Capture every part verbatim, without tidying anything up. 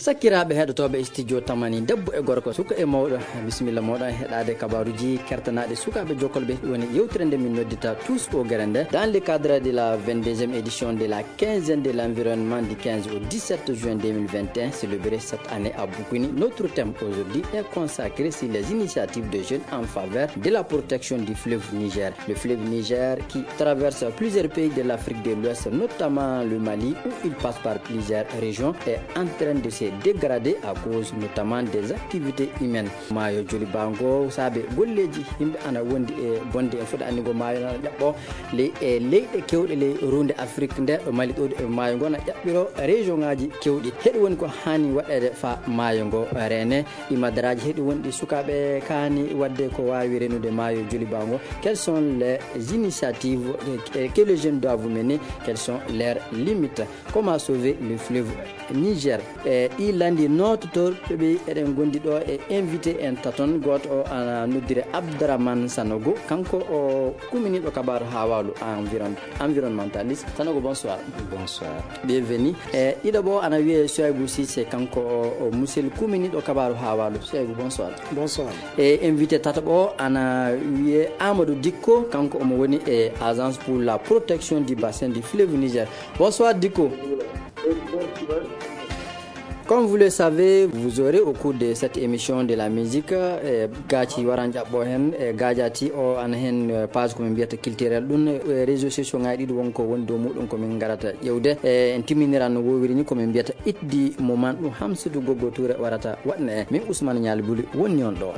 Sakiraaɓe heɗotooɓe studio Tamani, debbo e gorko, suka e mawɗo, bisimilla mooɗon e heɗaade kabaaruuji kertanaaɗi sukaaɓe jokkolɓe. Woni yewtere nde min noddata Tous au Garin nde, dans le cadre de la vingt-deuxième édition de la quinzaine de l'environnement du quinze au dix-sept juin deux mille vingt et un, célébrée cette année à Boukouni. Notre thème aujourd'hui est consacré sur les initiatives de jeunes en faveur de la protection du fleuve Niger. Le fleuve Niger, qui traverse plusieurs pays de l'Afrique de l'Ouest, notamment le Mali, où il passe par plusieurs régions, est en train de se dégrader à cause notamment des activités humaines. Maayo Joliba ngo, saabe golleeji yimɓe ana wondi e bonde, en foti anndi ngo maayo na ƴaɓɓo ley, e leyɗe kewɗe ley ruunde Afrik nde, ɗo Mali ɗo, e maayo ngo na ƴaɓɓiro région ŋaaji kewɗi. Heɗi woni ko haani waɗeede fa maayo ngo reene. Imadaraaji heɗi wonɗi sukaaɓe kaani waɗde ko waawi renude maayo Joliba ngo. Quelles sont les initiatives que, que les jeunes doivent mener? Quelles sont leurs limites? Comment sauver le fleuve Niger? E ɗi lanndi noototorɓe ɓe eɗen gondi ɗo e invité en taton. Gooto o ana noddire Abdourahmane Sanogo, kanko o kuminiiɗo kabaaru haa waalu, environ-, environnementaliste. Sanogo, bonsoir. Bonsoir. Bienvenue. E ɗiɗo ɓo ana wiyee Souaibou Cissé, kanko o, o musil kuminiiɗo kabaaru haa waalu. Souaibou, bonsoir. Bonsoir. E invité tataɓo o ana wiyee Amadou Dicko, kanko omo woni e Agence pour la protection du bassin du fleuve Niger. Bonsoir Dicko. Comme vous le savez, vous aurez au cours de cette émission de la musique, e gaaci waran ƴaɓɓo heen, e gaajati o ana heen, e page ko min mbiyata culturel. Ɗum, e réseaux sociaux ŋaaji ɗiɗi won ko woni dow muɗum ko min ngarata ƴewde. E en timminiran no woowiri ni ko min mbiyata It the Moment, ɗum Hamsidou Goggo Touré warata waɗna en. Min Ousmane Nialy Bouly woni on ɗo.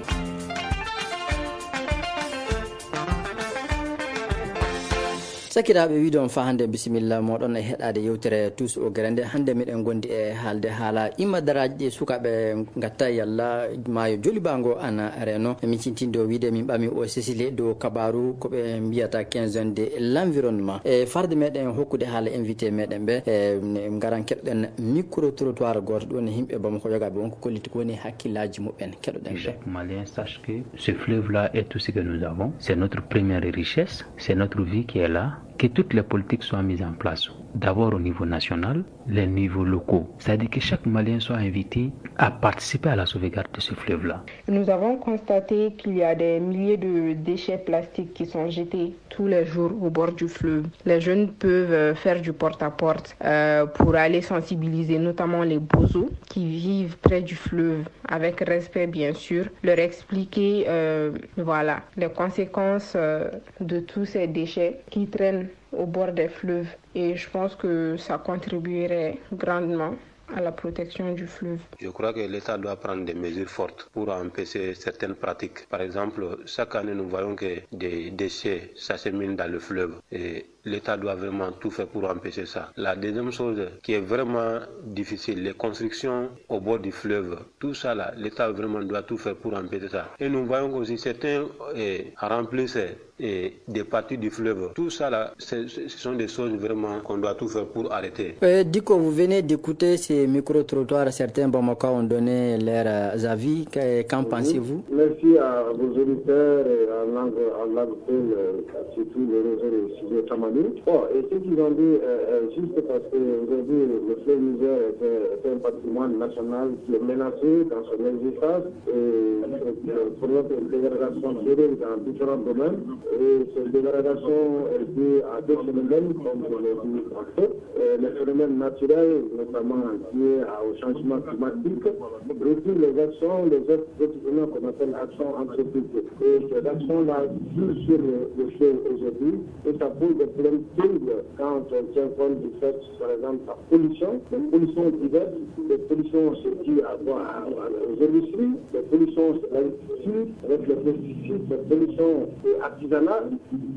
Sakiraaɓe, wiide on faa hannde bisimilla mooɗon e heɗaade yewtere Tous au Garin nde. Hannde miɗen gondi e haalde haala imadaraaji ɗi sukaaɓe ngatta yalla maayo Joliba ngo ana reeno. Min cintinde o wiide min ɓami o Cécile dow kabaaru ko ɓe mbiyata quinzaine de l'environnement. E farde meɗen hokkude haala invité meɗen ɓe, e, ngaran keɗoɗen micro-trottoir gooto ɗo ne yimɓe Bamako yogaaɓe won ko kolliti ko woni hakkillaaji muɓɓen. Keɗoɗen ɓe. Chaque Malien sache que ce fleuve-là est tout ce que nous avons. C'est notre première richesse, c'est notre vie qui est là. Que toutes les politiques soient mises en place, d'abord au niveau national, les niveaux locaux. C'est-à-dire que chaque Malien soit invité à participer à la sauvegarde de ce fleuve-là. Nous avons constaté qu'il y a des milliers de déchets plastiques qui sont jetés tous les jours au bord du fleuve. Les jeunes peuvent, euh, faire du porte-à-porte, euh, pour aller sensibiliser notamment les Bozo qui vivent près du fleuve, avec respect bien sûr, leur expliquer, euh, voilà, les conséquences, euh, de tous ces déchets qui traînent au bord des fleuves. Et je pense que ça contribuerait grandement à la protection du fleuve. Je crois que l'État doit prendre des mesures fortes pour empêcher certaines pratiques. Par exemple, chaque année, nous voyons que des déchets s'acheminent dans le fleuve. Et l'État doit vraiment tout faire pour empêcher ça. La deuxième chose qui est vraiment difficile, les constructions au bord du fleuve. Tout ça là, l'État vraiment doit tout faire pour empêcher ça. Et nous voyons aussi certains, eh, remplissent, eh, des parties du fleuve. Tout ça là, c'est, ce sont des choses vraiment qu'on doit tout faire pour arrêter. Euh, Dicko, vous venez d'écouter ces micro-trottoirs, certains Bamako ont donné leurs, euh, avis. Que- qu'en pensez-vous? Merci à vos auditeurs et à l'angle, à l'angle, euh, surtout le réseau de Studio Tamani. Bon, et ce qu'ils ont dit, euh, est juste parce que aujourd'hui, le fleuve Niger est un, est un patrimoine national qui est menacé dans son existence. Et, euh, pour notre dégradation sérieuse dans différents domaines. Et cette dégradation est due à deux phénomènes, comme vous l'avez dit tantôt. Euh, les phénomènes naturels, notamment liés à- au changement climatique, et puis les actions, les autres, autres phénomènes qu'on appelle actions anthropiques. Et ces actions-là jouent sur le, le fleuve aujourd'hui, et ça pose des problèmes terribles quand on tient compte du fait, par exemple, la pollution, les pollutions diverses, les pollutions, c'est dû à quoi? À- à- aux industries, les pollutions, c'est l'agriculture, avec les pesticides, les pollutions, euh, artisanales,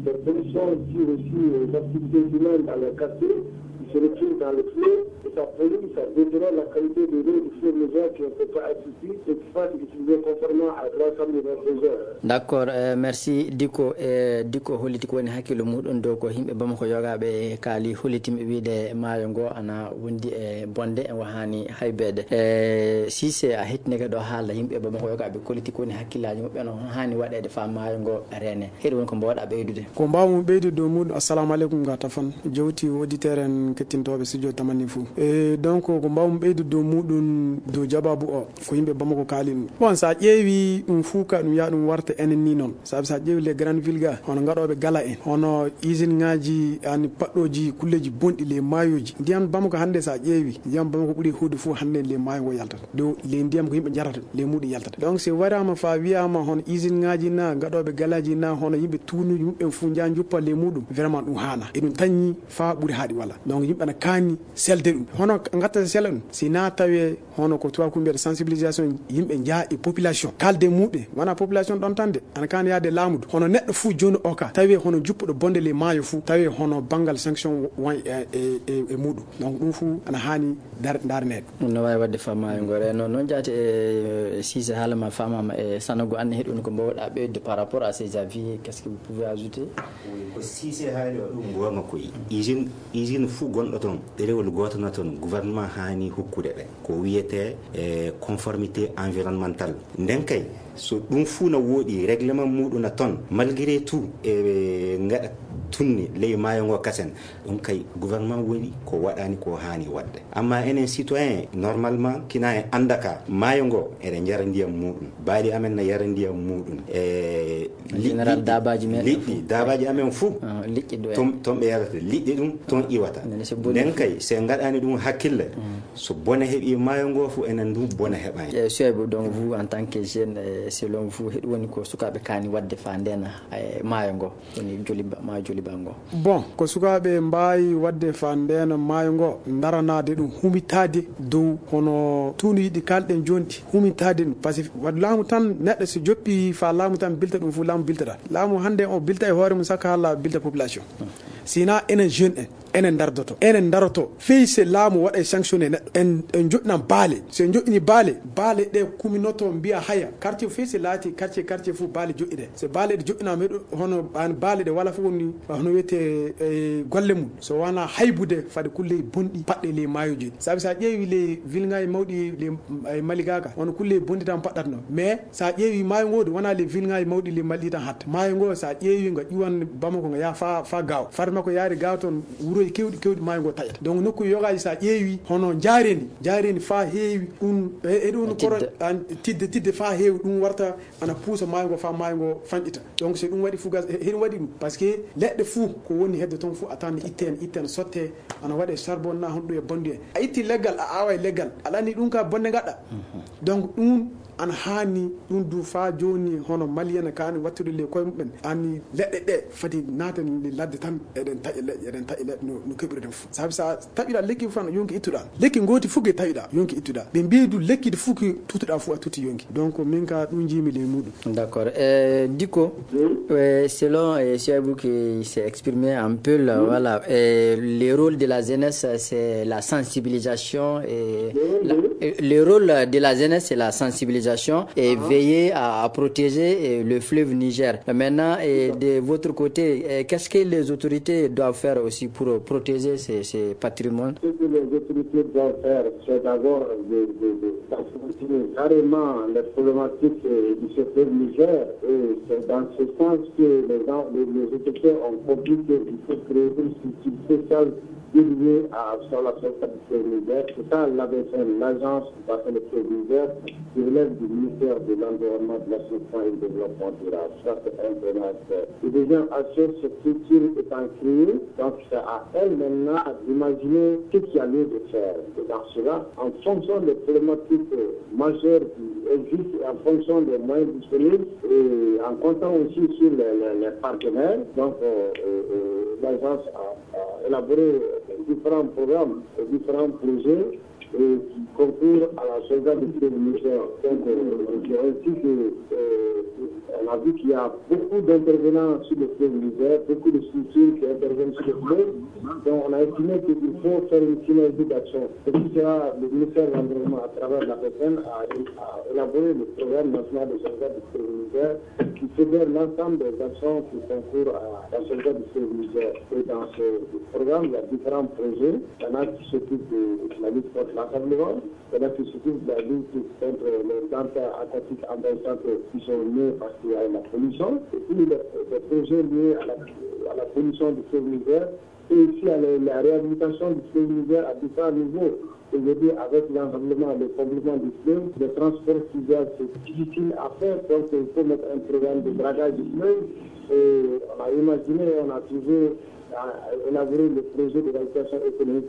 les pollutions dues aussi aux activités humaines dans les quartiers, qui se retrouvent dans le fleuve, et ça pollue, ça détériore la qualité de l'eau du fleuve Niger qui ne peut pas être bu, et qui fasse utiliser conformément à trois cent mille heures. D'accord, euh, merci. Dicko, euh, Dicko holliti ko woni hakkillo muɗum dow ko yimɓe Bamako yogaaɓe kaali, hollitimɓe wiide maayo ngo ana wondi e bonde, en wahaani haybeede. E Cissé, a hettinike ɗo haala yimɓe Bamako yogaaɓe kolliti ko woni hakkillaaji muɓɓen, on haani waɗeede faa maayo ngo reene. Heɗi woni ko mbaawɗa ɓeydude? Ko mbaawmi ɓeydude dow muɗum, assalamu aleykum, ga tafan jewti auditeur en. Tintooɓe studio Tamani fuu. E, donc, ko mbaawmi ɓeydude dow muuɗum, dow jabaabu o, ko yimɓe Bamako kaali ɗum. Bon, so a ƴeewi ɗum fuu ka, ɗum yaha ɗum warta enen ni noon. Sabi so a ƴeewi les grandes villes ga, hono ngaɗooɓe gala en, hono usine ŋaaji, ani paɗɗooji kulleeji bonɗi les maayooji. Ndiyam Bamako hannde so a ƴeewi, ndiyam Bamako ɓuri huude fuu hannde les maayo ngo yaltata. Dow les ndiyam ko yimɓe njarata, les muuɗum yaltata. Donc, so waraama faa wiyaama hono usine ŋaaji na, ngaɗooɓe galaaji na, hono yimɓe tuunuuji muɓɓen fuu njaha njuppa les muuɗum, vraiment ɗum haana. Eɗum tañi faa ɓuri haaɗi wala. Donc, yimɓe ana kaani selde ɗum. Hono ngatta sela ɗum, si na tawe hono ko tubaakoo mbiyata sensibilisation, yimɓe njaha e population. Kalde muuɗum, wona population ɗon tan de, ana kaani yaade laamu du. Hono neɗɗo fuu jooni o ka, tawi hono juppuɗo bonde les maayo fuu, tawi hono banngal sanction won e, e, e, e muuɗum. Donc, ɗum fuu ana haani dar-, ndaarneede. No waawi waɗde faa maayo ngo reeno. Noon jaati e Cissé haala ma faamaama e Sanogo, aan ne hiɗon ko mbaawɗaa ɓeydude par rapport à ces avis, qu'est-ce que vous pouvez ajouter? Wi, ko Cissé haali o ɗum goonga koy. Usine, usine fuu gonɗo toon, ɗerewol gooto na toon, gouvernement haani hokkude ɓe. Ko wiyetee, e, conformité environnementale. Nden kay, so ɗum fuu na wooɗi, règlement muuɗum na toon, malgré tout, e, ngaɗa tunni ley maayo ngo kasen, ɗum kay gouvernement woni ko waɗani ko haani waɗde. Amma enen citoyen, normalement, kina en annda ka, maayo ngo, eɗen njara ndiyam muuɗum. Baali amen na yara ndiyam muuɗum. E, en général, liɗɗi, daabaaji meɗen liɗɗi, fof. Daabaaji amen fuu. Ah, liƴƴi ɗo en. Toon, toon ɓe yarata. Liƴƴi ɗum, toon iwata. Nden kay, so en ngaɗani ɗum hakkille, mm, so bone heɓi maayo ngo fuu, enen du bone heɓani. E, Souaibou, donc, vous, en tant que jeune, e, selon vous, heɗum woni ko sukaaɓe kaani waɗde faa ndeena, e, maayo ngo? Woni Joliba, maayo Joliba ngo. Bon, ko sukaaɓe mbaawi waɗde faa ndeena maayo ngo, ndaranaade ɗum, humitaade dow hono tuunuuji ɗi kaalɗen jooni ɗi, humitaade ɗum. Par ce que waɗ laamu tan, neɗɗo so joppii faa laamu tan bilta ɗum fuu, laamu biltata. Laamu hannde o bilta e hoore mum, sakka haa laamu bilta population. Sina enen jeune en, enen ndardoto, enen ndaroto. Fey se laamu waɗa e sanctionné neɗɗo, en, en joɗɗinan baale. So en joɗɗini baale, baale ɗe kuminoto mbiya haya. Quartier fey se laati, quartier, quartier fuu baale joɗɗine. So baale ɗe joɗɗinaama, heɗo, hono an baale ɗe wala fof woni, hono wiyetee, e, golle mum. So wona haybude fade kulle bonɗi paɗɗe ley maayooji. Sabi so a ƴeewi ley vilŋaaji mawɗi ley, e, Maligaaka, hono kulle bonɗi tan paɗɗatno. Mais so a ƴeewi maayo ngo, wona ley vilŋaaji mawɗi ley Mali tan hatta. Maayo ngo, so a ƴeewi ngo ƴuwan Bamako ngo yaha faa, faa Gaawo. Fade makko yaade Gaawo toon, wuroji kewɗi, kewɗi maayo ngo taƴata. Donc nokku yogaaji so a ƴeewi, hono Njaareendi, Njaareendi faa heewi, ɗum, e, e ɗum Tidde. Koro, an, Tidde, Tidde faa heewi, ɗum warta ana puusa maayo ngo faa maayo ngo fanɗita. Donc, so ɗum waɗi fugas, he-, heɗum waɗi ɗum. Par ce que leɗɗe fuu ko woni hedde toon fuu a tawan itte en, itte en sotte, ana waɗe charbon na honɗum e bonde en. A itti leggal, a aawa e leggal, aɗa anndi ɗum ka bonde ngaɗɗa. Mhm. Donc, ɗum ana haani, ɗum du faa jooni hono Malien kaani wattude ley koye mumen. Anni leɗɗe ɗe fati naata e ladde tan, eɗen taƴa leɗɗe, eɗen taƴa leɗɗe no, no keɓirɗen fuu. Sabi so a taƴuɗaa lekki fof, yonki ittuɗaa. Lekki ngooti fof ke taƴuɗaa, yonki ittuɗaa. Ɓe mbiyi du lekki ɗi fof ke tutuɗaa fof a tuti yonki. Donc, min ka ɗum njiimi ley muɗum. D'accord. Euh, Diko, euh, selon, euh, Souaibou qui s'est exprimé un peu là, voilà, euh, le rôle de la jeunesse, c'est la sensibilisation et la, euh, le rôle de la jeunesse, c'est la sensibilisation et veiller à, à protéger, euh, le fleuve Niger. Maintenant, euh, de votre côté, euh, qu'est-ce que les autorités doivent faire aussi pour protéger ces, ces patrimoines? Ce que les autorités doivent faire, c'est d'abord de, de, de, d'affronter carrément les problématiques, euh, du secteur Niger. Et c'est dans ce sens que les gens, les, les autorités ont compris qu'il faut créer une structure spéciale dédiée à, sur la sauvegarde du fleuve Niger. C'est ça l'A B C N, l'Agence du bassin de fleuve Niger, qui relève du ministère de l'Environnement, de l'Assainissement et du Développement durable. Ça, c'est un premier aspect. Le deuxième aspect, cette structure étant créée, donc c'est à elle maintenant d'imaginer ce qu'il y a lieu de faire. Et dans cela, en fonction des problématiques, euh, majeures qui existent, et en fonction des moyens disponibles, et en comptant aussi sur les, les, les partenaires, donc, euh, euh, euh, l'agence a, a élaboré différents programmes et différents projets et qui concourent à la sauvegarde du fleuve Niger. Donc, euh, c'est ainsi que, euh, on a vu qu'il y a beaucoup d'intervenants sur le fleuve Niger, beaucoup de structures qui interviennent sur le fleuve. Donc, on a estimé qu'il faut faire une synergie d'action. C'est pour cela que le ministère de l'Environnement, à travers l'A B C N, a, a élaboré le programme national de sauvegarde du fleuve Niger, qui fédère l'ensemble des actions qui concourent à la sauvegarde du fleuve Niger. Et dans ce programme, il y a différents projets. Il y en a qui s'occupent de la lutte contre l'ensablement, il y en a qui s'occupent de la lutte contre les plantes aquatiques envahissantes qui sont nées parce qu'il y a la pollution. Et puis, les, les projets liés à la, à la pollution du fleuve Niger, Et aussi, la, la réhabilitation du fleuve Niger à différents niveaux. Aujourd'hui, avec l'enrobement, le comblement du fleuve, le transport fluvial, c'est difficile à faire. Donc, il faut mettre un programme de dragage du fleuve. Et on a imaginé, on a toujours euh, élaboré le projet de réhabilitation économique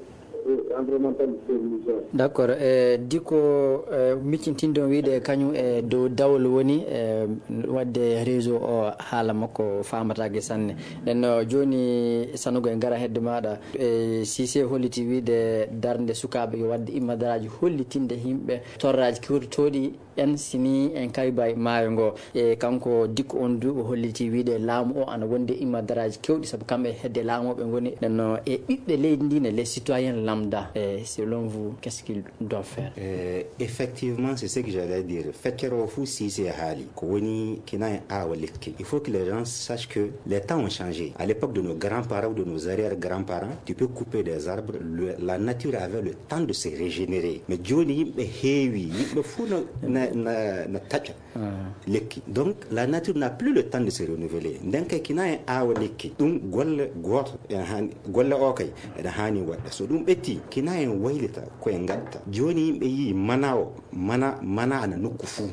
et environnementale du fleuve Niger. D'accord. E diko e miccintinɗon wiide kañum e dow dawol woni e waɗde réseau o, haala makko faamataake sanne. Nden no jooni Sanogo en ngara hedde maaɗa. E Cissé holliti wiide darnde sukaaɓe yo waɗde immadaraaji hollitinde yimɓe torraaji kewtotooɗi en sini en kaybay maayo ngo. E kanko dikko on du o holliti wiide laamu o ana wonde immadaraaji kewɗi sabu kamɓe hedde laamu o ɓe ngoni. Nden no e ɓiɓɓe leydi ndi ne, les citoyens lambda, e selon vous, qu'est-ce qu'il doit faire? Euh, effectivement, c'est ce que j'allais dire. Feccere o fuu Cissé haali ko woni kina en aawa lekki. Il faut que les gens sachent que les temps ont changé. À l'époque de nos grands-parents ou de nos arrière-grands-parents, tu peux couper des arbres. Le- la nature avait le temps de se régénérer. Mais jooni yimɓe heewi, yimɓe fuu na, na, na, na taƴa lekki. Donc la nature n'a plus le temps de se renouveler. Nden kay kina en aawa lekki, ɗum golle gooto ene haani, golle o kay ene haani waɗde. So ɗum ɓetti, kina en waylita ko en ngatta. Jooni yimɓe yii mana o, mana, mana ana nokku fuu.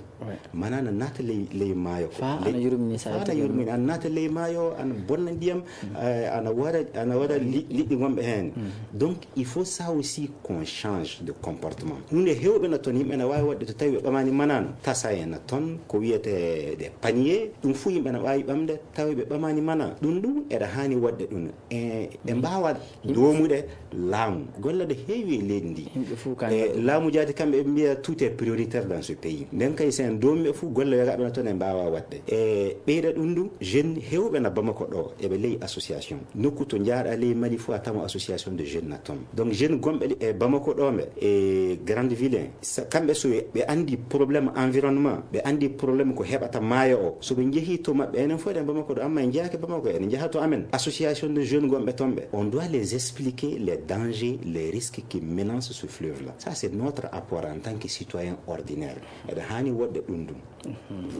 Mana ana naata ley, ley maayo ko. Fa ana yurmini sa faa ana yurmini, ana naata ley maayo, ana bonna ndiyam, eh, ana waɗa, ana waɗa li- liɗɗi gonɓe heen. Donc il faut ça aussi qu'on change de comportement. Hunde heewɓe na toon, yimɓe na waawi waɗde to tawi ɓe ɓamaani manano. Tasa en na toon, ko wiyetee des paniers, ɗum fuu yimɓe na waawi ɓamde tawi ɓe ɓamaani mana. Ɗum ɗum eɗa haani waɗde ɗum. E, e mbaawa doomude laamu. Golle ɗe heewi e leydi ndi. Yimɓe fuu ka e laamu jaati kamɓe ɓe mbiya tout est prioritaire dans ce pays. Nden kay so en doomi ɓe fuu golle wegaaɓe na toon e mbaawa waɗde. E ɓeyda ɗum ɗum, jeune heewɓe na Bamako ɗo, eɓe ley association. Nokku to njaaɗa ley Mali fuu a tama association de jeunes na toon. Donc jeune gonɓe e Bamako ɗo ɓe, e Grande Ville, sa- kamɓe so ɓe anndi problème environnement, ɓe anndi problème ko heɓata maayo o, so ɓe njehii to maɓɓe, enen fof eɗen Bamako ɗo, amma en njeyaaki Bamako, eɗen njaha to amen. Association de jeunes gonɓe toon ɓe, on doit les expliquer les dangers, les risques qui menacent ce fleuve là. Ça c'est notre apport en tant que citoyen ordinaire. Eɗen haani waɗde ɗum ɗum.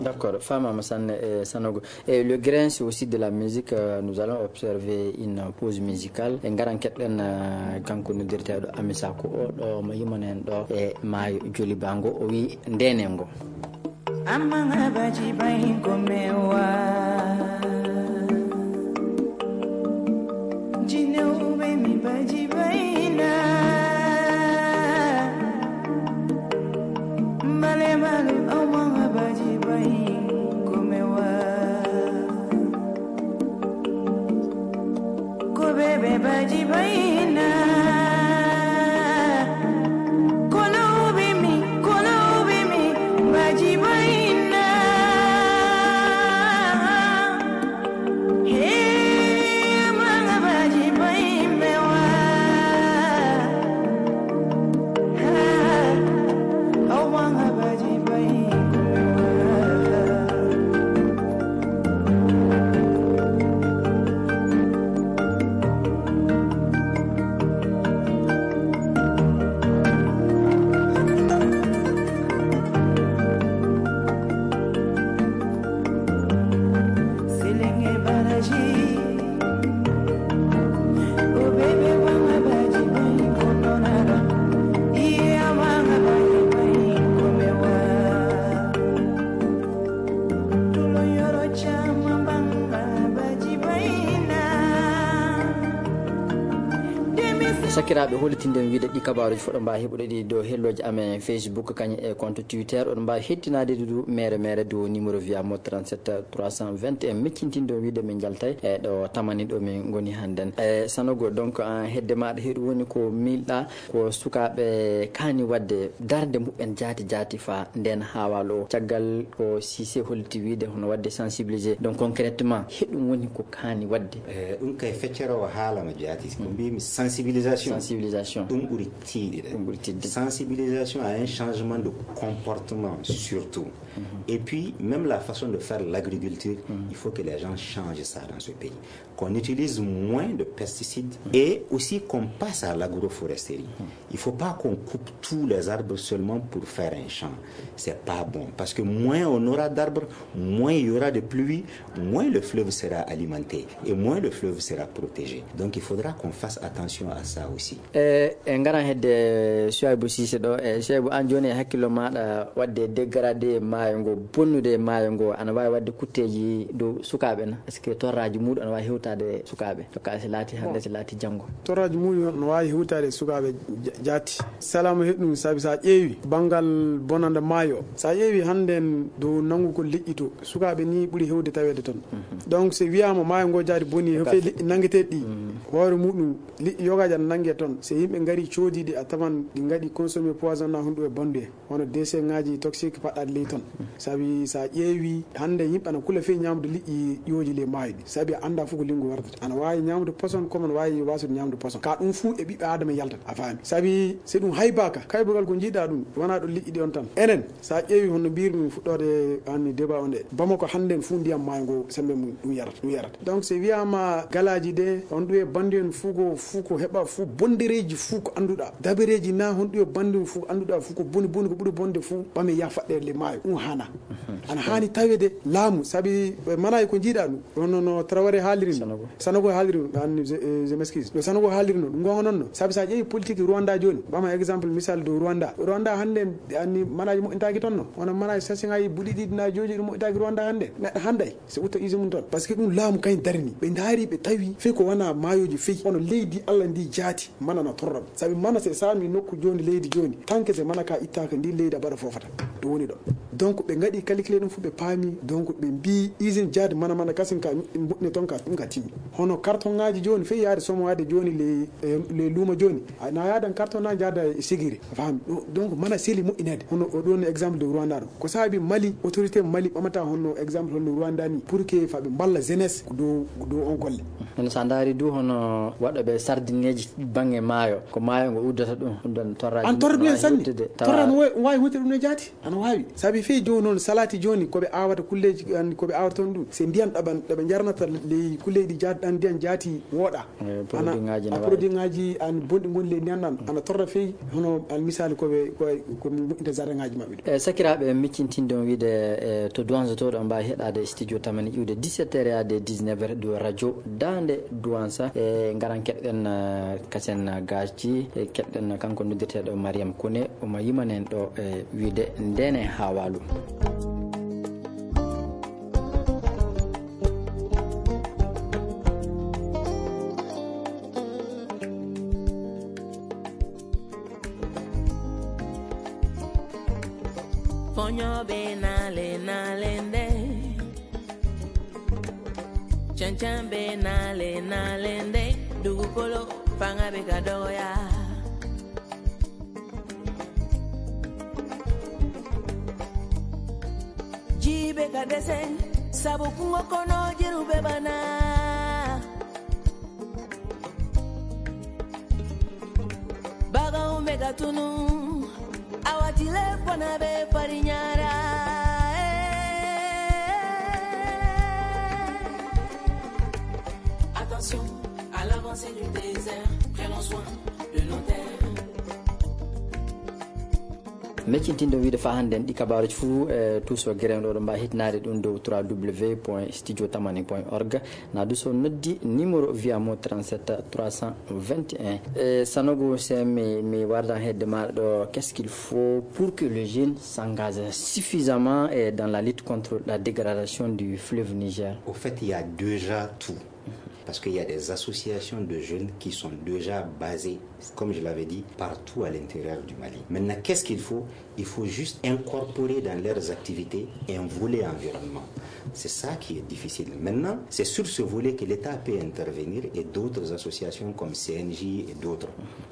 D'accord, faamaama sanne e Sanogo. Et le grain, c'est aussi de la musique. Euh, nous allons observer une pause musicale. En ngaran keɗɗen, euh, kanko noddirteeɗo Amisa ko o ɗo mo yimana en ɗo e maayo Joliba ngo. O wi ndenen ngo. Amanga baji bain komewa. Jineu be mi baji baina. Male male amanga baji bain komewa. Ko bebe baji baina. Kono ubimi, kono ubimi, baji baina. Hey, manga baji bain mewa. Ha, oh, manga baji bain mewa. Sakiraaɓe, hollitinden wiide ɗi kabaaruuji fof ɗo mbaawi heɓude ɗi dow helloji amen Facebook, kañum e compte Twitter. Oɗon mbaawi hettinaade ɗi du mere mere dow numéro via mo trente-sept trois cent vingt et un. Miccintinden wiide min njaltay e ɗo tamani ɗo min ngoni hannden. E Sanogo, donc, an hedde maaɗa heɗu woni ko miilɗa ko sukaaɓe kaani waɗde darnde muɓɓen jaati jaati faa ndeen haawal o. Caggal ko Cissé holliti wiide hono waɗde sensibiliser. Donc concrètement, heɗum woni ko kaani waɗde. Eh, ɗum kay feccere o haalama jaati. Ko mbimi sensibilisation. Sensibilisation. Ɗum ɓuri tiiɗude. Ɗum ɓuri tiiɗude. Sensibilisation à un changement de comportement surtout. Et puis, même la façon de faire l'agriculture, il faut que les gens changent ça dans ce pays. Qu'on utilise moins de pesticides et aussi qu'on passe à l'agroforesterie. Il ne faut pas qu'on coupe tous les arbres seulement pour faire un champ. C'est pas bon. Parce que moins on aura d'arbres, moins il y aura de pluie, moins le fleuve sera alimenté et moins le fleuve sera protégé. Donc il faudra qu'on fasse attention à ça aussi. E, e ngaran hedde Souaibou Cissé ɗo. E, Souaibou, an jooni e hakkillo maaɗa waɗde dégradé maayo ngo, bonnude maayo ngo, ana waawi waɗde kutteeji dow sukaaɓe na? Est-ce que torraaji muuɗum ana waawi hewtaade sukaaɓe? To ka si laati hannde, si laati janngo. Torraaji muuɗum no waawi hewtaade sukaaɓe ja-, jaati. Salama heɗ ɗum, sabi so a ƴeewi banngal bonanda maayo, so a ƴeewi hannde en dow nanngu ko leƴƴi to, sukaaɓe ni ɓuri hewde taweede toon. Donc so wiyaama maayo ngo jaati boni, fey leƴƴi nanngeteeɗi ɗi, hoore muuɗum liƴƴi yogaaji ana nannge toon. So yimɓe ngari coodiiɗi, a tawan ɗi ngaɗi consommé poison na honɗum e banndu en. Hono déchets ŋaaji toxique paɗɗaaɗi ley toon. Sabi so a ƴeewi hannde yimɓe ana kula fey ñaamde liƴƴi ƴooji ley maayo ɗi. Sabi a anndaa fof ko linngu wardata. Ana waawi ñaamde poison comme ana waawi waasude ñaamde poison. Ka ɗum fuu e ɓiɓɓe Aadama yaltata. A faami? Sabi so ɗum haybaaka, kaybugal ko njiiɗaa ɗum, wonaa ɗo liƴƴi ɗi on tan. Enen, so a ƴeewi hono mbiyir ɗum fuɗɗoode anni débat on ɗe, Bamako hannde en fuu ndiyam maayo ngo semmbe mum ɗum yarata, ɗum yarata. Donc so wiyaama galaaji ɗe, on ɗum e banndu en fuu ko, fuu ko heɓa, fuu bondereeji fuu ko annduɗaa. Dabereeji na honɗum e banndu en fuu annduɗaa fuu ko boni boni, ko ɓuri bonde fuu ɓame yaha faɗɗere le maayo. Ɗum haanaa. Ana haani taweede laamu, sabi, eh, manaaji ko njiiɗaa ɗum. Hono no Traoré haaliri no. Sanogo. Sanogo haaliri no, anni, je, eh, je m'excuse. No Sanogo haaliri no, ɗum gonga noon no. Sabi so a ƴeewi politique Rwanda jooni, ɓama exemple misal dow Rwanda. Rwanda hannde en, anni, manaaji moƴƴintaaki toon no. Hono manaaji sasiŋaaji buɗi ɗiɗi na jooji ɗum moƴƴintaaki Rwanda hannde. Neɗɗo hannday, so utta usine mum toon. Parce que ɗum laamu kañ darini. Ɓe ndaari, ɓe tawi, fey ko wona maayoji fey. Hono leydi Allah ndi jaati. Mana na torra ɓe. Sabi mana se saami nokku jooni leydi jooni, tanke se mana ka ittaaka, ndi leydi a mbaɗa foofata. Ɗum woni ɗo. Donc ɓe ngaɗi calculé ɗum fof, ɓe paami. Donc ɓe mbii usine jaadi mana mana kasin ka moƴƴine toon ka, ɗum ka timmi. Hono carton ŋaaji jooni, fey yaade somo waade jooni le, eh, le luuma jooni. A na yaadan carton na jaada e sigiri. A faami? Ɗo-, donc mana seli moƴƴineede. Hono o ɗon exemple de Rwanda ɗo. Ko saabi Mali, autorité Mali ɓamata hono exemple hono Rwanda ni, pour que fa ɓe mballa jeunesse ko dow, ko dow on golle. Hono so a ndaari du hono waɗooɓe sardineeji baŋnge maayo, ko maayo ngo uddata ɗum, ɗum ɗon torraaji. An torra ɗum en sanne. Torra no waawi, waawi huuwde ɗum no jaati. Ana waawi. Sabi fey jooni noon, salati jooni, ko ɓe aawata kulleeji, an, ko ɓe aawata toon ɗum. Se ndiyan ɗaɓan, ɗaɓe njarnata ley kulleeji ɗi jaat-, an ndiyan jaati wooɗa. Eh, ana, produit ŋaaji a ne produit ŋaaji an bonɗi ngoni ley ndiyan ɗan. Ana torra fey, hono an misali ko ɓe, ko, ko moƴƴinta jardin ŋaaji maɓɓe ɗi. E sakiraaɓe, miccintinde on wiide, e to Douanza to, ɗo mbaawi heɗaade studio Tamani iwde dix-sept heures yaade dix-neuf heures ɗo radio Daande Douanza. E ngaran keɗɗen, eh, kasen gaaji, e keɗɗen kanko noddirteeɗo Mariam Kone, omo yimanen ɗo e wiide ndene haa waalu. Foño be nale nale nde. Chanchan be nale nale nde. Dugukolo fanga be kadoya. Jibe kadese, sabu kungo kono jiru be bana. Baga umbe katunu, awatile fona be farinyara. Eh. Attention à l'avancée du désert, prenons soin de nos terres. Meccintinde wiide fa hannde en ɗi kabaaruji fuu, e tuuso gere ɗo, ɗo mbaa hitnaade ɗum dow trois w point studio tamani point org. Na du so noddi numéro via mo trente-sept trois cent vingt et un. E Sanogo, se mi, mi wardan hedde maaɗa ɗo, qu'est-ce qu'il faut pour que les jeunes s'engagent suffisamment, eh, dans la lutte contre la dégradation du fleuve Niger? Au fait, il y a déjà tout. Parce qu'il y a des associations de jeunes qui sont déjà basées, comme je l'avais dit, partout à l'intérieur du Mali. Maintenant, qu'est-ce qu'il faut? Il faut juste incorporer dans leurs activités un volet environnement. C'est ça qui est difficile. Maintenant, c'est sur ce volet que l'État peut intervenir et d'autres associations comme C N J et d'autres,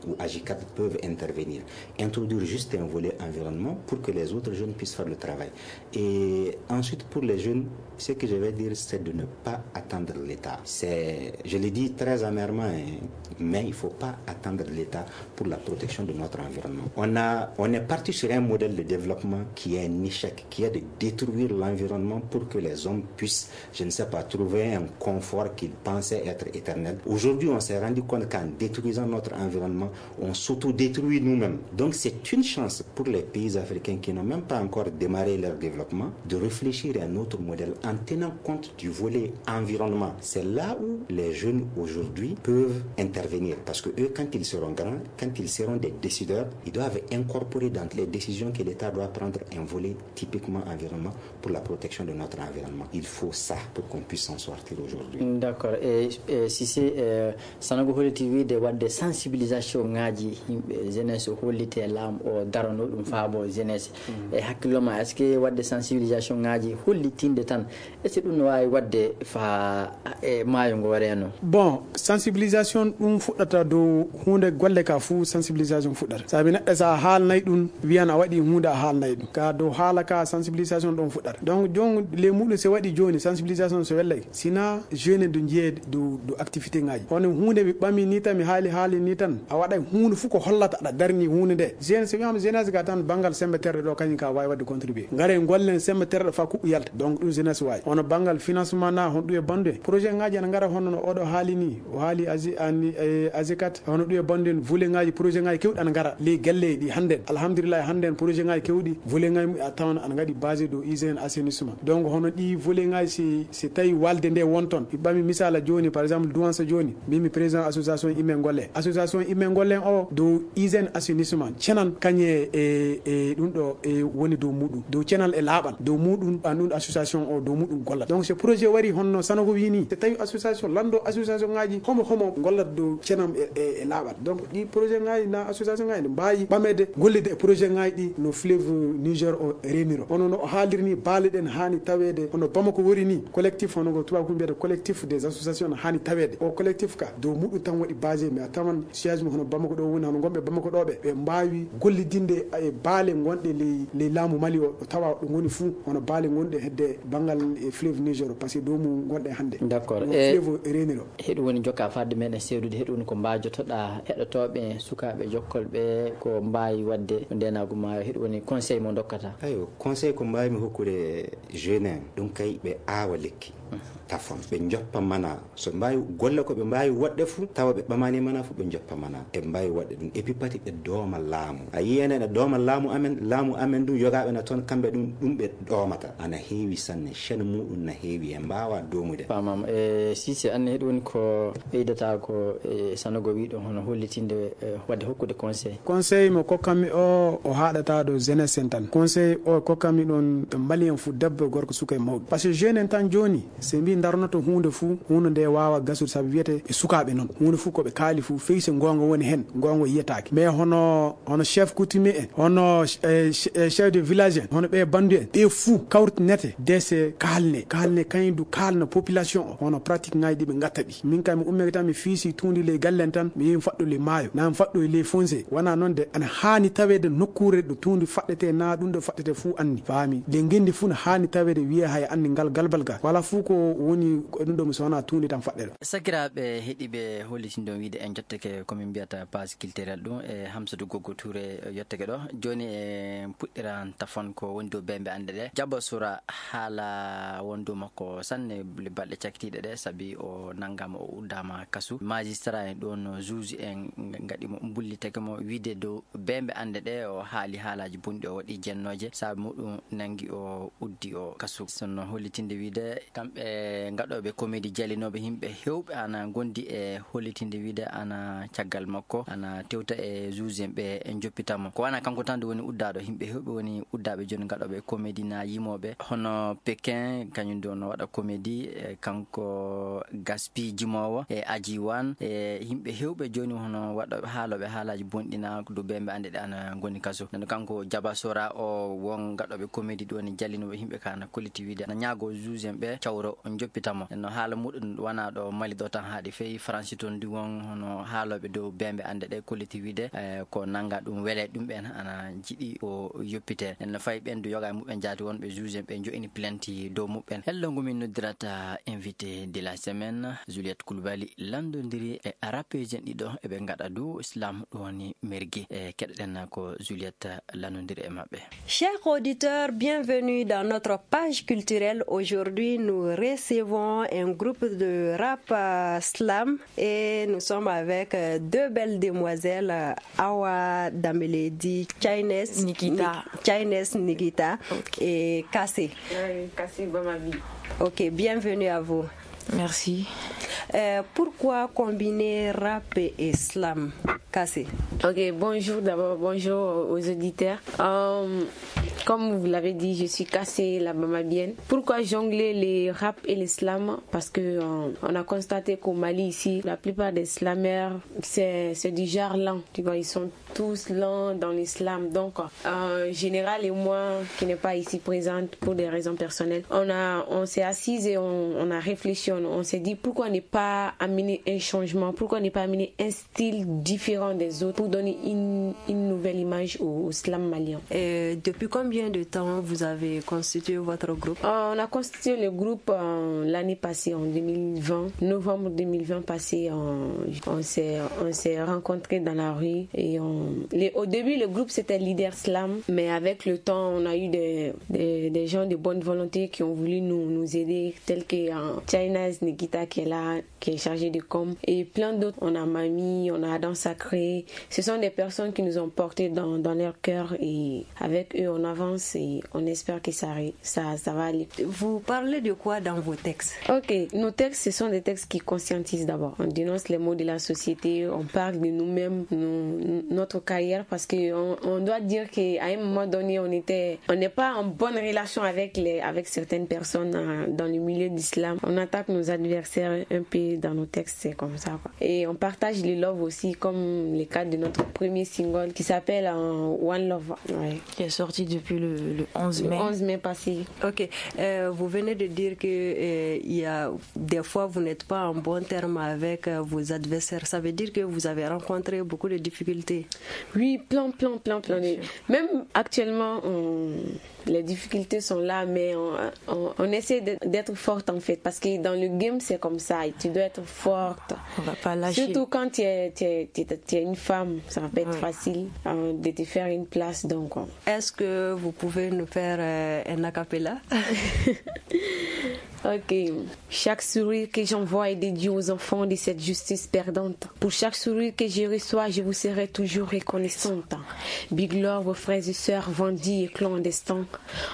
ou Agicap peuvent intervenir. Introduire juste un volet environnement pour que les autres jeunes puissent faire le travail. Et ensuite, pour les jeunes, ce que je vais dire, c'est de ne pas attendre l'État. C'est Je le dis très amèrement, hein, mais il ne faut pas attendre l'État pour la protection de notre environnement. On a, on est parti sur un modèle de développement qui est un échec, qui est de détruire l'environnement pour que les hommes puissent, je ne sais pas, trouver un confort qu'ils pensaient être éternel. Aujourd'hui, on s'est rendu compte qu'en détruisant notre environnement, on s'autodétruit nous-mêmes. Donc c'est une chance pour les pays africains qui n'ont même pas encore démarré leur développement de réfléchir à un autre modèle en tenant compte du volet environnement. C'est là où les jeunes aujourd'hui peuvent intervenir. Parce que eux, quand ils seront grands, quand ils seront des décideurs, ils doivent incorporer dans les décisions que l'État doit prendre un volet typiquement environnement pour la protection de notre environnement. Il faut ça pour qu'on puisse s'en sortir aujourd'hui. D'accord. E, e si se e, Sanogo holliti wiide waɗde sensibilisation ŋaaji yimɓe, jeunesse, hollite laam o darano ɗum faabo jeunesse. E hakkillo ma, est ce que waɗde sensibilisation ŋaaji hollitinde tan, est ce que ɗum no waawi waɗde faa e maayo ngo reeno? Bon, sensibilisation ɗum fuɗɗata dow huunde, golle ka fuu sensibilisation fuɗɗata. Sabi neɗɗo, so a haalnay ɗum, wiyan a waɗi huunde, a haalnay ɗum. Ka dow haala ka, sensibilisation ɗon fuɗɗata. Donc, jooni, ley muɗum, so waɗi jooni, sensibilisation so wellay, sina jeune do njiyee dow, dow activité ŋaaji. Hono huunde mi ɓami ni tan, mi haali, haali ni tan, a waɗay huunde fuu ko hollata aɗa darni huunde nde. Jeune, so wiyaama jeunesse ka tan, banngal semmbe terɗe ɗo, kañum ka waawi waɗde contribuer. Ngare ngollen semmbe terɗe faa kuɓɓu yalta. Donc, ɗum jeunesse waawi. Hono banngal financement na, honɗum e bandu e. Projet ŋaaji ana ngara hono no oɗo haali ni. O haali Azi-, ani, e, Azikat, hono ɗum e bandu en, volet ŋaaji, projet ŋaaji keewɗi ana ngara ley galleeji ɗi hannden. Alhamdulillahi, hannden projet ŋaaji keewɗi, volet ŋaaji a tawan ana ngaɗi basé dow hygiène, assainissement. Donc, hono ɗi volet ŋaaji, si, si tawi walde nde won toon. Mi ɓami misaala jooni, par exemple, Douansa jooni, mbimi président association Immee Ngollee. Association Immee Ngollee o dow hygiène, assainissement, ceenal kañe e, e ɗum ɗo e woni dow muɗum. Dow ceenal e laaɓal, dow muɗum, an ɗum association o, dow muɗum gollata. Donc, so projet wari honno Sanogo wii ni, so tawi association, lanndo association ŋaaji, homo, homo gollata dow ceenal e, e, e laaɓal. Donc, ɗi projet ŋaaji na association ŋaaji ne mbaawi ɓameede, gollide e projet ŋaaji ɗi no fleuve Niger o reeniro. Hono no o haaliri ni, baale ɗen haani taweede hono Bamako wori ni, collectif, hono ko tubaabu mbiyata collectif des associations, no haani taweede. O collectif ka, dow muɗum tan waɗi basé, mais a tawan siège mum hono Bamako ɗo woni, hono gonɓe Bamako ɗo ɓe, ɓe mbaawi gollidinde e baale gonɗe ley, ley laamu Mali o, o tawa ɗo ngoni fuu, hono baale gonɗe hedde banngal e fleuve Niger o, parce que dow mum gonɗe hannde. D'accord. Ɗum e fleuve reeniro. Heɗum woni jokka fadde meɗen seedude, heɗum woni ko mbaajotoɗaa heɗotooɓe, sukaaɓe jokkolɓe, ko mbaawi waɗde ndeenaagu maayo, heɗum woni conseil mo ndokkata? Ayo, conseil ko mbaawmi hokkude jeune en, ɗum kay ɓe aawa lekki, tafon, ɓe njoppa mana. So mbaawi golle ko ɓe mbaawi waɗde fuu, tawa ɓe ɓamaani mana fuu, ɓe njoppa mana. Ɓe mbaawi waɗde ɗum. Et puis pati ɓe dooma laamu. A yiyii ene ene dooma laamu amen, laamu amen ɗum, yogaaɓe na toon, kamɓe ɗum, ɗum ɓe ɗoomata. Ana heewi sanne, chaîne muɗum na heewi, en mbaawa doomude. Faamaama. E, Sise, anne heɗum woni ko ɓeydata ko, e, Sanogo wii ɗum, hono hollitinde, e, waɗde hokkude conseil. Conseil mo kokkanmi o, o haaɗata ɗo jeunesse en tan. Conseil o kokkanmi ɗon, Malien fuu, debbo e gorko, suka e mawɗo. Parce que jeune en tan jooni, so ɓe mbii ndarnoto huunde fuu, huunde nde waawa gasude, sabu wiyete e sukaaɓe noon. Huunde fuu ko ɓe kaali fuu, fey so goonga woni heen, goonga yiyetaake. Mais hono, hono chef coutumier en, hono, eh, che-, eh, chef de village en, hono ɓe bandu en, ɓe fuu kawrinete, dese kaalne, kaalne, kañum du kaalna population o, hono pratique ŋaaji ɗi ɓe ngatta ɗi. Min kam mi ummike tan, mi fiisi tuundi ley gallen tan, mi yehi mi faɗɗo ley maayo, naa mi faɗɗo e ley fonse. Wonaa noon de, ana haani taweede nokkuure ɗo tuundi faɗɗetee, naa ɗum ɗo faɗɗetee fuu anni, faami. Ley ngenndi fuu no haani taweede, wiyee haya anni ngal galbal ga. Wala fuu ko woni ko ɗum ɗo, mi so wonaa tuundi tan faɗɗere. Sakiraaɓe heɗiiɓe, hollitindo wiide en jottake ko min mbiyata passe culturel ɗum e Hamsatou Gogo Touré yottake ɗo. Jooni e puɗɗiran tafon ko woni dow beembe anɗe ɗe. Jaba Sura haala won dow makko sanne le balɗe cakkitiiɗe ɗe, sabi o nanngaama, o uddaama kasu. Magistrat en ɗoon, juge en ngaɗi mo, mbullitake mo wiide dow beembe anɗe ɗe, o haali haalaaji bonɗi, o waɗi jennooje, sabi muɗum nanngi o uddi o kasu. Sinno hollitinde wiide kamɓe ngaɗooɓe comédie jalinooɓe yimɓe heewɓe ana ngondi e hollitinde wiide ana caggal makko, ana tewta e juge en ɓe, e njoppita mo. Ko wona kanko tan nde woni uddaaɗo, yimɓe heewɓe woni uddaaɓe jooni ngaɗooɓe comédie na yimooɓe, hono Pékin, kañum nde no waɗa comédie, e kanko Gaspi jimoowo, e Aji Wan, e yimɓe heewɓe jooni hono waɗooɓe haalooɓe haalaaji bonɗi na dow beembe anɗe ɗe ana ngoni kaso. Nden kanko Jaba Sora o won ngaɗooɓe comédie ɗo woni jalinooɓe yimɓe ka na kolliti wiide ana ñaago juge en ɓe cawro o njoppita mo. No haala muɗum wona ɗo Mali ɗo tan haaɗi, fey Faransi toon ndi won hono haalooɓe dow beembe anɗe ɗe kolliti wiide, eh, ko nannga ɗum wele ɗum ɓen ana jiɗi o yoppite. En no fayi ɓen du yoga e muɓɓen jaati wonɓe juge en ɓe jo'ini plainte dow muɓɓen. Hello ngu min noddirata invité de la semaine. Juliette Koulibaly lanndondiri e arapeeji en ɗiɗo, eɓe ngaɗa du islam, ɗum woni mergi. E keɗoɗen ko Juliette lanndondiri e maɓɓe. Chers auditeurs, bienvenue dans notre page culturelle. Aujourd'hui, nous recevons un groupe de rap, euh, slam, et nous sommes avec, euh, deux belles demoiselles, euh, Awa Dameledi, Chines Nikita. Ni-, Chines Nikita et Kassé. Oui, Kassé Bamavi. Ok, bienvenue à vous. Merci. Euh, pourquoi combiner rap et slam, Kassé? Ok, bonjour d'abord, bonjour aux auditeurs. Euh, comme vous l'avez dit, je suis Kassé, la Bamabienne. Pourquoi jongler les rap et les slam? Parce que, euh, on a constaté qu'au Mali, ici, la plupart des slameurs, c'est, c'est du genre lent. Tu vois, ils sont tous lents dans l'islam. Donc, euh, Général et moi, qui n'est pas ici présente pour des raisons personnelles, on a, on s'est assises et on, on a réfléchi. On, on s'est dit, pourquoi ne pas amener un changement? Pourquoi ne pas amener un style différent des autres pour donner une, une nouvelle image au, au slam malien? Et depuis combien de temps vous avez constitué votre groupe? Euh, on a constitué le groupe, euh, l'année passée, en deux mille vingt, novembre deux mille vingt passé, on, on s'est, on s'est rencontrés dans la rue et on, les, au début, le groupe c'était Leader Slam, mais avec le temps, on a eu des, des, des gens de bonne volonté qui ont voulu nous, nous aider, tels que, euh, China's Nikita qui est là, qui est chargé de com, et plein d'autres. On a Mami, on a Adam Sacré. Ce sont des personnes qui nous ont portés dans, dans leur cœur et avec eux, on avance et on espère que ça, ré-, ça, ça va aller. Vous parlez de quoi dans vos textes? Ok, nos textes, ce sont des textes qui conscientisent d'abord. On dénonce les maux de la société, on parle de nous-mêmes, nous, notre carrière, parce que on, on doit dire qu'à un moment donné, on était, on n'est pas en bonne relation avec les, avec certaines personnes, euh, dans le milieu d'islam. On attaque nos adversaires un peu dans nos textes, c'est comme ça, quoi. Et on partage le love aussi, comme le cas de notre premier single qui s'appelle, euh, One Love. Ouais. Qui est sorti depuis le, le onze mai. Le onze mai passé. Ok. Euh, vous venez de dire que, euh, il y a des fois vous n'êtes pas en bon terme avec, euh, vos adversaires. Ça veut dire que vous avez rencontré beaucoup de difficultés. Oui, plein, plein, plein, plein. Bien sûr. Même actuellement, on, les difficultés sont là, mais on, on, on essaie de, d'être forte en fait. Parce que dans le game, c'est comme ça. Et tu dois être forte. On va pas lâcher. Surtout quand tu es, tu es, tu es, tu es une femme, ça va pas être, oui, facile, euh, de te faire une place. Donc, euh. Est-ce que vous pouvez nous faire, euh, un a cappella? Ok. Chaque sourire que j'envoie est dédié aux enfants de cette justice perdante. Pour chaque sourire que je reçois, je vous serai toujours reconnaissante. Big love aux frères et sœurs, Vandy et clandestins.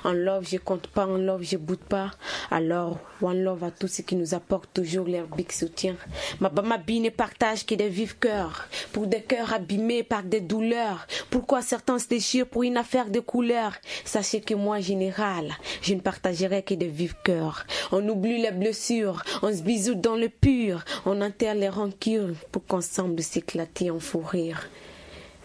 En love, je compte pas, en love, je boude pas. Alors, one love à tous ceux qui nous apportent toujours leur big soutien. Ma Bamabi ne partage que des vifs cœurs, pour des cœurs abîmés par des douleurs. Pourquoi certains se déchirent pour une affaire de couleur? Sachez que moi, Général, je ne partagerai que des vifs cœurs. On oublie les blessures, on se bisoute dans le pur, on enterre les rancures pour qu'ensemble s'éclater en fou rire.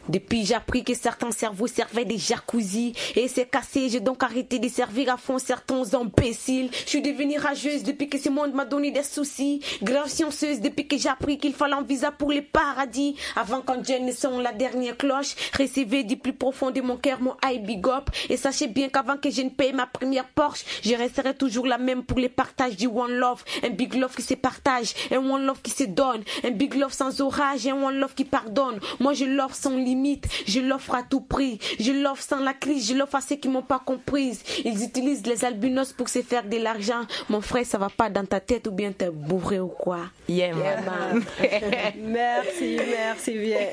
Depuis, j'ai appris que certains cerveaux servaient de jacuzzi et c'est cassé. J'ai donc arrêté de servir à fond certains imbéciles. Je suis devenue rageuse depuis que ce monde m'a donné des soucis. Grave chanceuse depuis que j'ai appris qu'il fallait un visa pour le paradis. Avant qu'un Dieu ne sonne la dernière cloche, recevez du plus profond de mon cœur mon high big up. Et sachez bien qu'avant que je ne paye ma première Porsche, je resterai toujours la même pour les partages du one love. Un big love qui se partage, un one love qui se donne. Un big love sans orage, un one love qui pardonne. Moi je love sans limite, je l'offre à tout prix. Je l'offre sans la crise, je l'offre à ceux qui m'ont pas comprise. Ils utilisent les albinos pour se faire de l'argent. Mon frère, ça va pas dans ta tête ou bien t'es bourré ou quoi? Yeah, man. Merci, merci bien.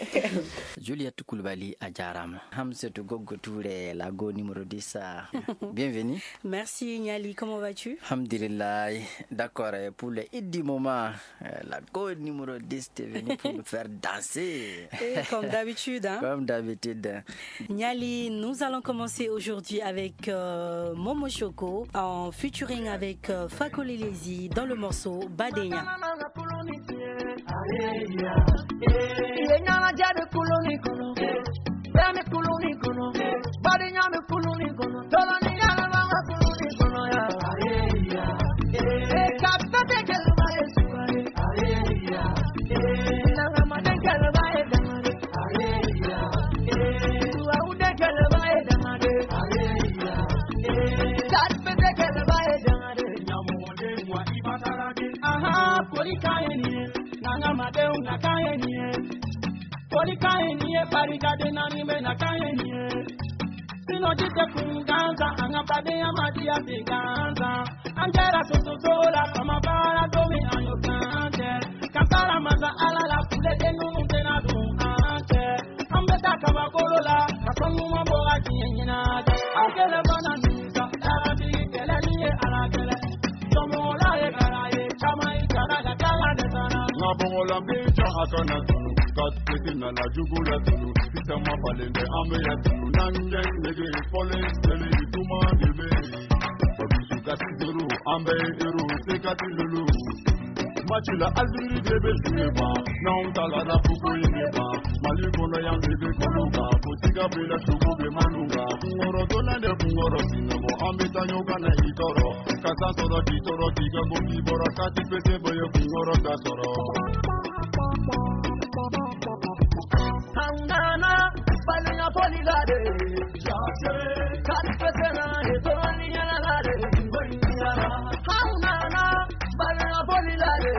Juliette Koulibaly, a jaaraama. Hamsatou Goggo Touré, la go numéro dix, ah, bienvenue. Merci, Niali, comment vas-tu? Alhamdulillah. D'accord, eh, pour le Iddi Moment, eh, la go numéro dix, t'es venue pour nous faire danser. Et comme d'habitude, hein? Comme d'habitude. Niali, nous allons commencer aujourd'hui avec, euh, Momo Choco en featuring avec, euh, Fakolelezi dans le morceau Badenya. Denw na kan ye nin ye. Foli kan ye nin ye, barikaden naani bɛ na kan ye nin ye. Sinɔji tɛ kun gansan, an ka badenya ma diya ten gansan. An kɛra sososo la, faama baara don min an y'o kan kɛ. Ka taara masa Ala la, kuleden ninnu tɛna don an cɛ. An bɛ taa kabakolo la, ka fɔ ɲuman bɔ ka diɲɛ ɲɛnajɛ. An kɛlɛ mana nin kan, taara bi kɛlɛ nin ye Ala kɛlɛ. Jɔnmɔgɔla ye kala ye, caman ye kala ka kala de sara. N ka bɔgɔla bɛ jɔ a kana tunu, ka tete nana jugu la tunu. Caman falen bɛ an bɛ yan tunu, n'an kɛ nege fɔlen seli duman de bɛ yen. Ka tituru, an bɛ ero, se ka tilulu. Match la, Algérie de bɛ jouer ban. N'anw talara ko ko in de ban. Mali kɔnɔ yan de bɛ kɔnɔ kan. Ko tiga bɛ la, sogo bɛ manu kan. Kunkɔrɔ donna de kunkɔrɔ sinɔgɔ. An bɛ taa ɲɔgɔn na i tɔɔrɔ. Ka taa sɔrɔ k'i tɔɔrɔ k'i ka bɔ k'i bɔra. Ka ti pese bɔ ye kunkɔrɔ ka sɔrɔ. An nana falen foli la de. Ka ti pese na ye tɔɔrɔ ni yɛlɛ la de. An nana falen foli la de.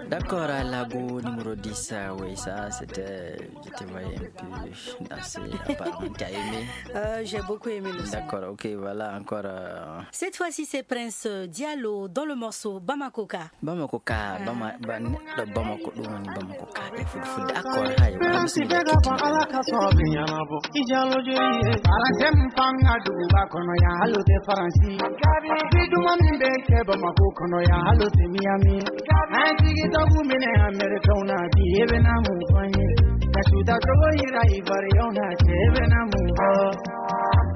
D'accord, à Lago numéro dix, euh, oui, ça, c'était, je te voyais un peu danser, apparemment, tu as aimé. Euh, j'ai beaucoup aimé le son. D'accord, ok, voilà, encore, euh. Cette fois-ci, c'est Prince Diallo dans le morceau Bamako Ka. Bamako Ka, Bama-, Ban-, Bamako, ɗum woni Bamako Ka, e fulfulde. D'accord, hay, wala, bismillah. Ala ka sɔrɔ bɛ ɲɛnabɔ. I jalo joli ye? Aranjɛ min fanga duguba kɔnɔ yan, hali o tɛ Faransi. Bi duman min bɛ kɛ Bamako kɔnɔ yan, hali o tɛ Miami. An tigi tɔgɔ minɛ Amerikɛnw na, bi e bɛna mun fɔ n ye? Ka su da cogo yira Ivoiriyɛnw na, cɛ e bɛna mun fɔ?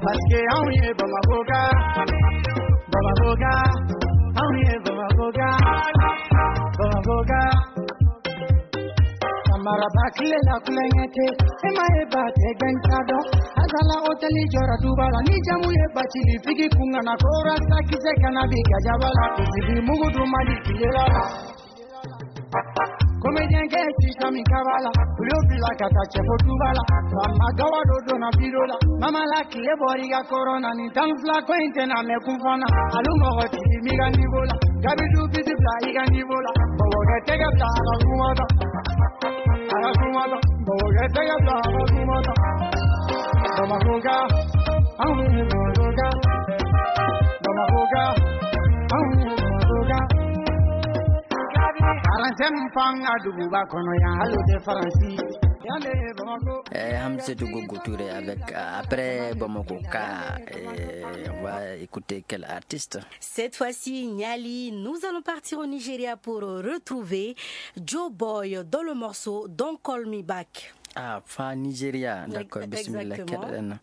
Parce que anw ye Bamako ka, Bamako ka, anw ye Bamako ka, Bamako ka. Samaraba tile la kulonkɛ tɛ, e ma ye ba tɛ gɛn ka dɔn. Azala hôtel jɔra duba la, ni jamu ye Bacili Figi kun kana, ko rasta kisɛ kana bi gajaba la, sigi mugu dun Mali tile la. Comédien kɛ sisan min kaba la, u y'o bila ka taa cɛfo duba la. Faama Gawa dɔ donna biro la, Mama la tile bɔra i ka kɔrɔn na, nin tan ni fila ko in tɛna mɛn kun fana. Alu mɔgɔ tigi mi ka niveau la, Gabi du biti bila i ka niveau la. Mɔgɔ kɛ tɛgɛ bila a ka kuma kan, a ka kuma kan. Mɔgɔ kɛ tɛgɛ bila a ka kuma kan. Bamakɔ ka, anw ye Bamakɔ ka, Bamakɔ ka, anw ye Bamakɔ ka. Aranjɛ min fanga duguba kɔnɔ yan, hali o tɛ Faransi. Yan de ye Bamakɔ. Eh, Hamsetou Gogo Touré avec, euh, après Bamako Ka, eh, on va écouter quel artiste? Cette fois-ci, Niali, nous allons partir au Nigeria pour retrouver Joe Boy dans le morceau Don't Call Me Back. Ah, fa Nigeria, d'accord, bismillah, exactement. Keɗoɗen.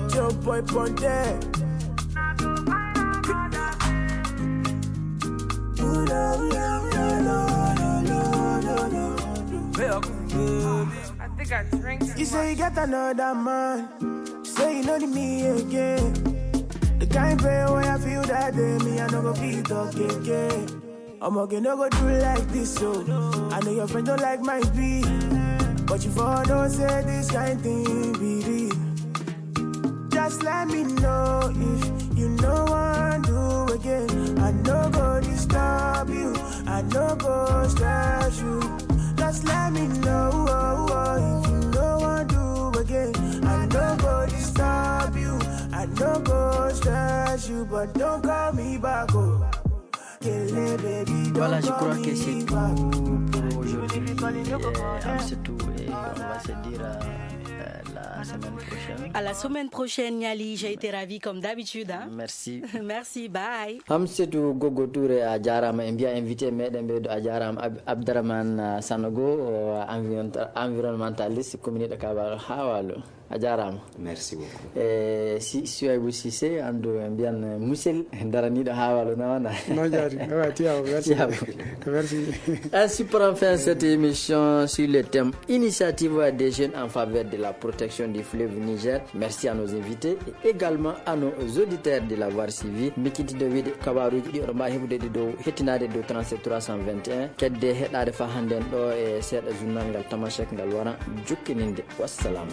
Joe Boy Ponte. I think I drink too much. You say you got another man. Say you know the me again. The kind pain where I feel that day, me, I no go feel talk again. I'm okay, no go do like this, so I know your friend don't like my beat, but you for don't say this kind thing be real. Just let me know if you know I do again. I no go disturb you, I no go stress you. Just let me know if you know I do again. I no go disturb you, I no go stress you, but don't call me back, oh. Voilà, je crois que c'est tout pour aujourd'hui. Euh, Hamsetou, et on va se dire, euh, euh, la semaine prochaine. À la semaine prochaine, Niali. J'ai été ravie comme d'habitude, hein. Merci. Merci, bye. Hamsetou Gogo Touré, a jaaraama. En mbiya invité meɗen ɓeydo, a jaaraama. Ab-, Abdourahmane, euh, Sanogo, euh, environ-, environnementaliste, commune de Kabal, Hawalo. A jaaraama. Merci beaucoup. Eh, si, Souaibou Cissé, andu, eh, mbiyan, eh, Musel, daraniiɗo Hawalo, nawana. Non, jaari. Awa, tiyaw, merci. Tiyaw. Merci. Ainsi prend fin cette émission sur le thème Initiative des jeunes en faveur de la protection du fleuve Niger. Merci à nos invités et également à nos auditeurs de l'avoir suivi. Mikiti de Wide, Kabaruji, di on mbawi heɓude ɗi dow, hettinaade dow trente-sept trois cent vingt et un. Kedde heɗaade fa hannden ɗo e seeɗa journal ngal Tamashek ngal wara jokkininde. Wassalam.